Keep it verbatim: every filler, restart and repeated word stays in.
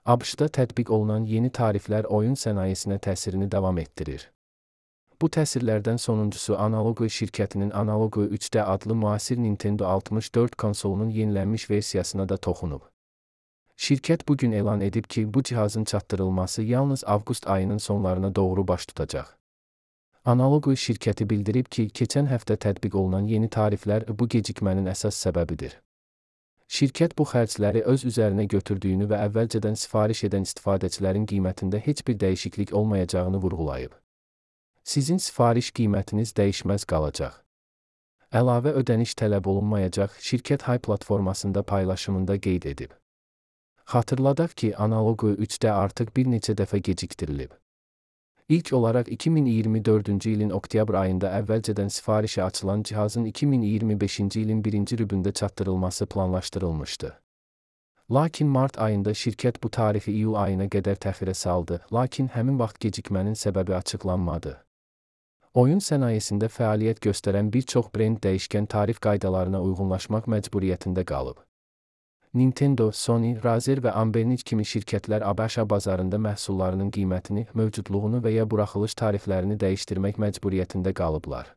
ABŞ-da tətbiq olunan yeni tariflər oyun sənayesinə təsirini davam etdirir. Bu təsirlərdən sonuncusu Analogue şirkətinin Analogue üç D adlı müasir Nintendo altmış dörd konsolunun yenilənmiş versiyasına da toxunub. Şirkət bugün elan edib ki, bu cihazın çatdırılması yalnız avqust ayının sonlarına doğru baş tutacaq. Analogue şirkəti bildirib ki, keçən həftə tətbiq olunan yeni tariflər bu gecikmənin əsas səbəbidir. Şirkət bu xərcləri öz üzərinə götürdüyünü və əvvəlcədən sifariş edən istifadəçilərin qiymətində heç bir dəyişiklik olmayacağını vurğulayıb. Sizin sifariş qiymətiniz dəyişməz qalacaq. Əlavə ödəniş tələb olunmayacaq, şirkət Hay platformasında paylaşımında qeyd edib. Xatırladaq ki, Analogue üç D artıq bir neçə dəfə gecikdirilib. İlk olaraq iki min iyirmi dördüncü ilin oktyabr ayında əvvəlcədən sifarişə açılan cihazın iki min iyirmi beşinci ilin birinci rübündə çatdırılması planlaşdırılmışdı. Lakin mart ayında şirkət bu tarifi iyul ayına qədər təxirə saldı, lakin həmin vaxt gecikmənin səbəbi açıqlanmadı. Oyun sənayesində fəaliyyət göstərən bir çox brend dəyişkən tarif qaydalarına uyğunlaşmaq məcburiyyətində qalıb. Nintendo, Sony, Razer və Anbernic kimi şirkətlər ABŞ bazarında məhsullarının qiymətini, mövcudluğunu və ya buraxılış tariflərini dəyişdirmək məcburiyyətində qalıblar.